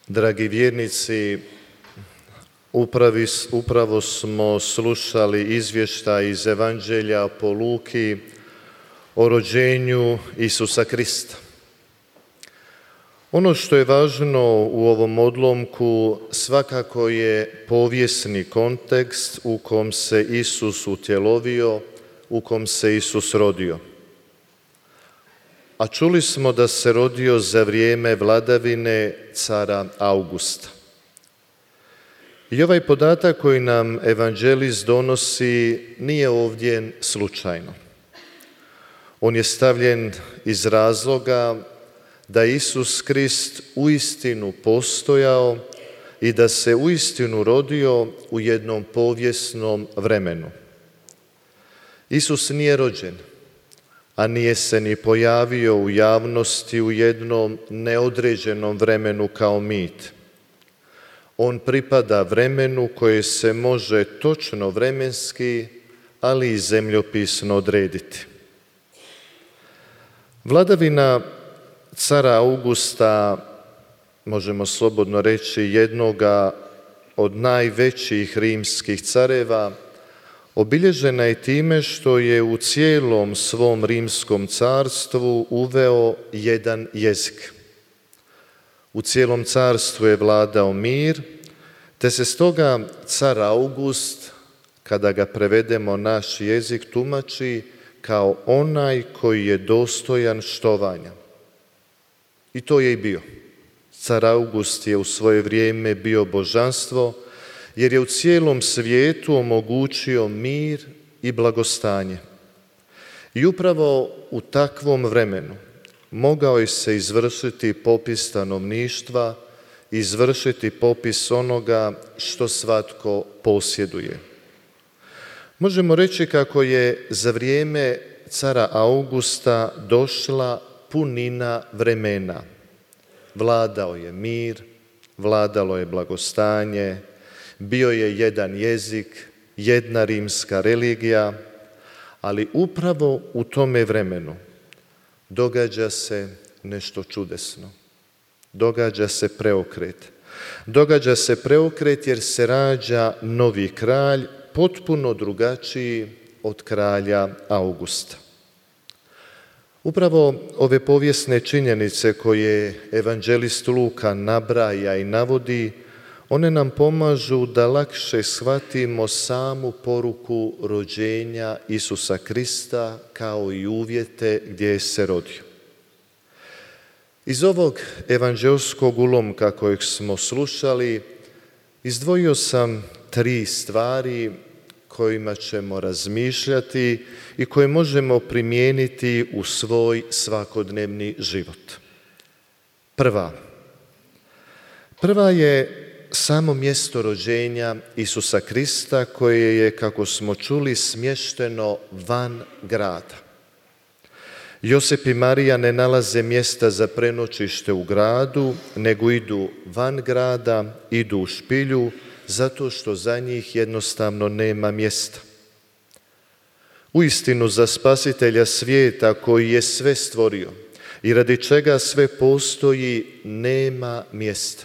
Dragi vjernici, upravo smo slušali izvještaj iz Evanđelja po Luki o rođenju Isusa Krista. Ono što je važno u ovom odlomku svakako je povijesni kontekst u kom se Isus utjelovio, u kom se Isus rodio. A čuli smo da se rodio za vrijeme vladavine cara Augusta. I ovaj podatak koji nam evanđelist donosi nije ovdje slučajno. On je stavljen iz razloga da Isus Krist uistinu postojao i da se uistinu rodio u jednom povijesnom vremenu. Isus nije rođen, a nije se ni pojavio u javnosti u jednom neodređenom vremenu kao mit. On pripada vremenu koje se može točno vremenski, ali i zemljopisno odrediti. Vladavina cara Augusta, možemo slobodno reći, jednoga od najvećih rimskih careva, obilježena je time što je u cijelom svom rimskom carstvu uveo jedan jezik. U cijelom carstvu je vladao mir, te se stoga car August, kada ga prevedemo naš jezik, tumači kao onaj koji je dostojan štovanja. I to je i bio. Car August je u svoje vrijeme bio božanstvo, jer je u cijelom svijetu omogućio mir i blagostanje. I upravo u takvom vremenu mogao je se izvršiti popis stanovništva, izvršiti popis onoga što svatko posjeduje. Možemo reći kako je za vrijeme cara Augusta došla punina vremena. Vladao je mir, vladalo je blagostanje, bio je jedan jezik, jedna rimska religija, ali upravo u tome vremenu događa se nešto čudesno. Događa se preokret. Događa se preokret jer se rađa novi kralj, potpuno drugačiji od kralja Augusta. Upravo ove povijesne činjenice koje evanđelist Luka nabraja i navodi, one nam pomažu da lakše shvatimo samu poruku rođenja Isusa Krista kao i uvjete gdje je se rodio. Iz ovog evanđelskog ulomka kojeg smo slušali, izdvojio sam 3 stvari kojima ćemo razmišljati i koje možemo primijeniti u svoj svakodnevni život. Prva je samo mjesto rođenja Isusa Krista koje je, kako smo čuli, smješteno van grada. Josip i Marija ne nalaze mjesta za prenoćište u gradu, nego idu van grada, idu u špilju, zato što za njih jednostavno nema mjesta. Uistinu za spasitelja svijeta koji je sve stvorio i radi čega sve postoji, nema mjesta.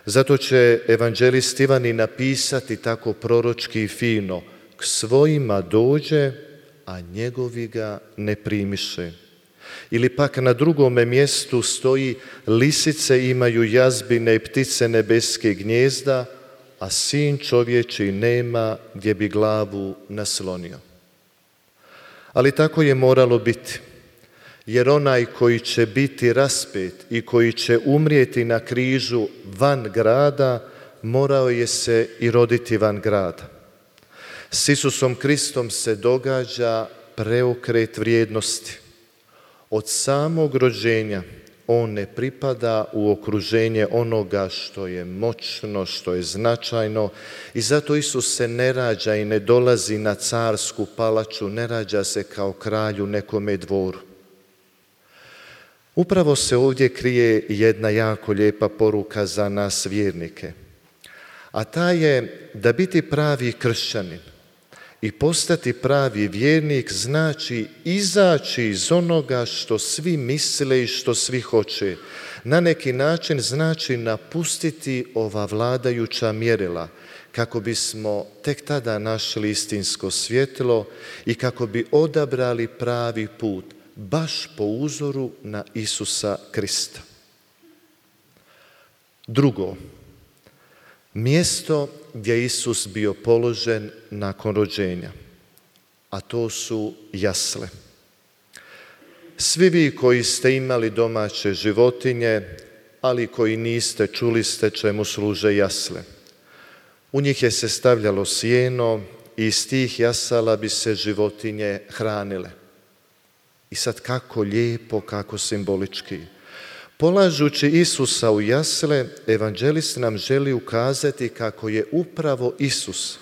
Zato će evanđelist Ivan i napisati tako proročki i fino: k svojima dođe, a njegovi ga ne primiše. Ili pak na drugome mjestu stoji: lisice imaju jazbine i ptice nebeske gnijezda, a sin čovječji nema gdje bi glavu naslonio. Ali tako je moralo biti, jer onaj koji će biti raspet i koji će umrijeti na križu van grada, morao je se i roditi van grada. S Isusom Kristom se događa preokret vrijednosti. Od samog rođenja on ne pripada u okruženje onoga što je moćno, što je značajno, i zato Isus se ne rađa i ne dolazi na carsku palaču, ne rađa se kao kralj u nekome dvoru. Upravo se ovdje krije jedna jako lijepa poruka za nas vjernike, a ta je da biti pravi kršćanin I postati pravi vjernik znači izaći iz onoga što svi misle i što svi hoće. Na neki način znači napustiti ova vladajuća mjerila, kako bismo tek tada našli istinsko svjetlo i kako bi odabrali pravi put, baš po uzoru na Isusa Krista. Drugo, mjesto gdje je Isus bio položen nakon rođenja, a to su jasle. Svi vi koji ste imali domaće životinje, ali koji niste, čuli ste čemu služe jasle. U njih je se stavljalo sjeno i iz tih jasala bi se životinje hranile. I sad kako lijepo, kako simbolički. Polažući Isusa u jasle, evanđelist nam želi ukazati kako je upravo Isus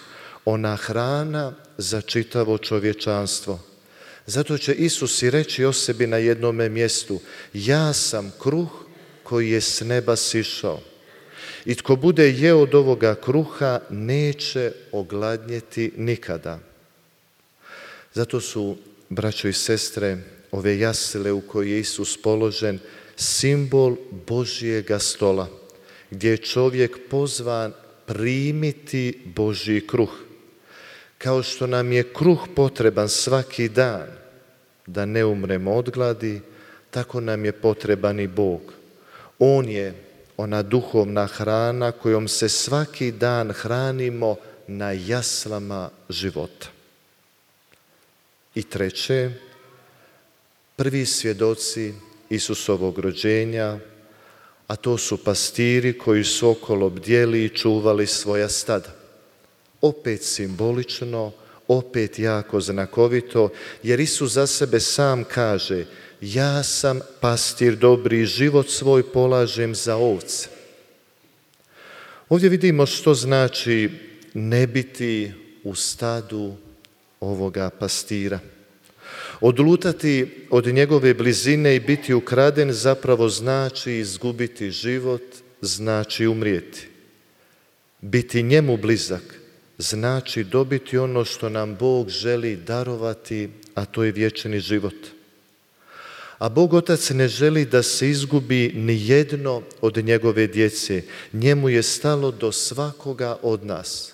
ona hrana za čitavo čovječanstvo. Zato će Isus i reći o sebi na jednome mjestu: ja sam kruh koji je s neba sišao. I tko bude jeo od ovoga kruha neće ogladnjeti nikada. Zato su, braćo i sestre, ove jasle u koje je Isus položen simbol Božjega stola, gdje je čovjek pozvan primiti Božji kruh. Kao što nam je kruh potreban svaki dan da ne umremo od gladi, tako nam je potreban i Bog. On je ona duhovna hrana kojom se svaki dan hranimo na jaslama života. I treće, prvi svjedoci Isusovog rođenja, a to su pastiri koji su okolo bdjeli i čuvali svoja stada. Opet simbolično, opet jako znakovito, jer Isus za sebe sam kaže: ja sam pastir dobri, život svoj polažem za ovce. Ovdje vidimo što znači ne biti u stadu ovoga pastira. Odlutati od njegove blizine i biti ukraden zapravo znači izgubiti život, znači umrijeti. Biti njemu blizak znači dobiti ono što nam Bog želi darovati, a to je vječni život. A Bog Otac ne želi da se izgubi ni jedno od njegove djece. Njemu je stalo do svakoga od nas.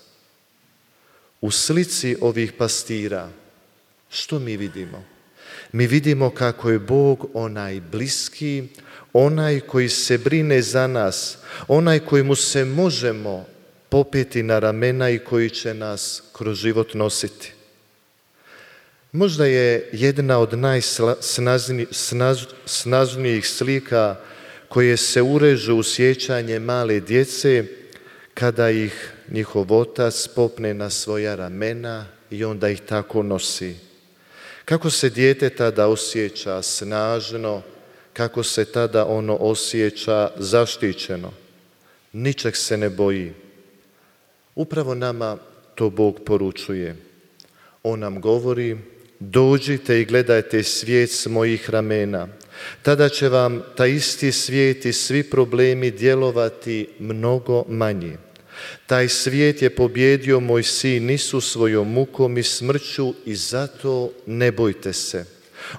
U slici ovih pastira što mi vidimo? Mi vidimo kako je Bog onaj bliski, onaj koji se brine za nas, onaj kojemu se možemo popeti na ramena i koji će nas kroz život nositi. Možda je jedna od najsnažnijih slika koje se urežu u sjećanje male djece kada ih njihov otac popne na svoja ramena i onda ih tako nosi. Kako se dijete tada osjeća snažno, kako se tada ono osjeća zaštićeno. Ničeg se ne boji. Upravo nama to Bog poručuje. On nam govori: dođite i gledajte svijet s mojih ramena. Tada će vam taj isti svijet i svi problemi djelovati mnogo manje. Taj svijet je pobjedio moj sin Isus svojom mukom i smrću i zato ne bojte se.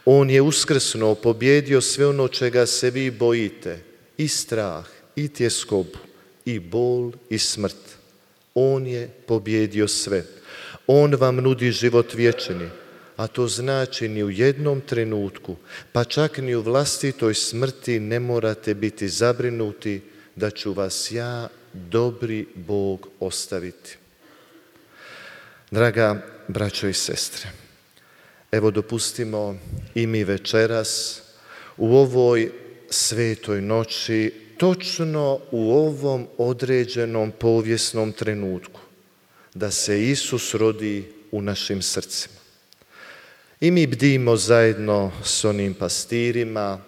On je uskrsnuo, pobjedio sve ono čega se vi bojite, i strah, i tjeskobu, i bol, i smrt. On je pobjedio sve. On vam nudi život vječni, a to znači ni u jednom trenutku, pa čak ni u vlastitoj smrti ne morate biti zabrinuti da ću vas ja, dobri Bog, ostaviti. Draga braćo i sestre, evo dopustimo i mi večeras u ovoj svetoj noći, točno u ovom određenom povijesnom trenutku, da se Isus rodi u našim srcima. I mi bdimo zajedno s onim pastirima,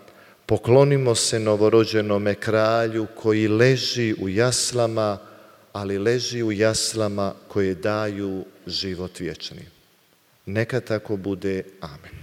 poklonimo se novorođenome kralju koji leži u jaslama, ali leži u jaslama koje daju život vječni. Neka tako bude. Amen.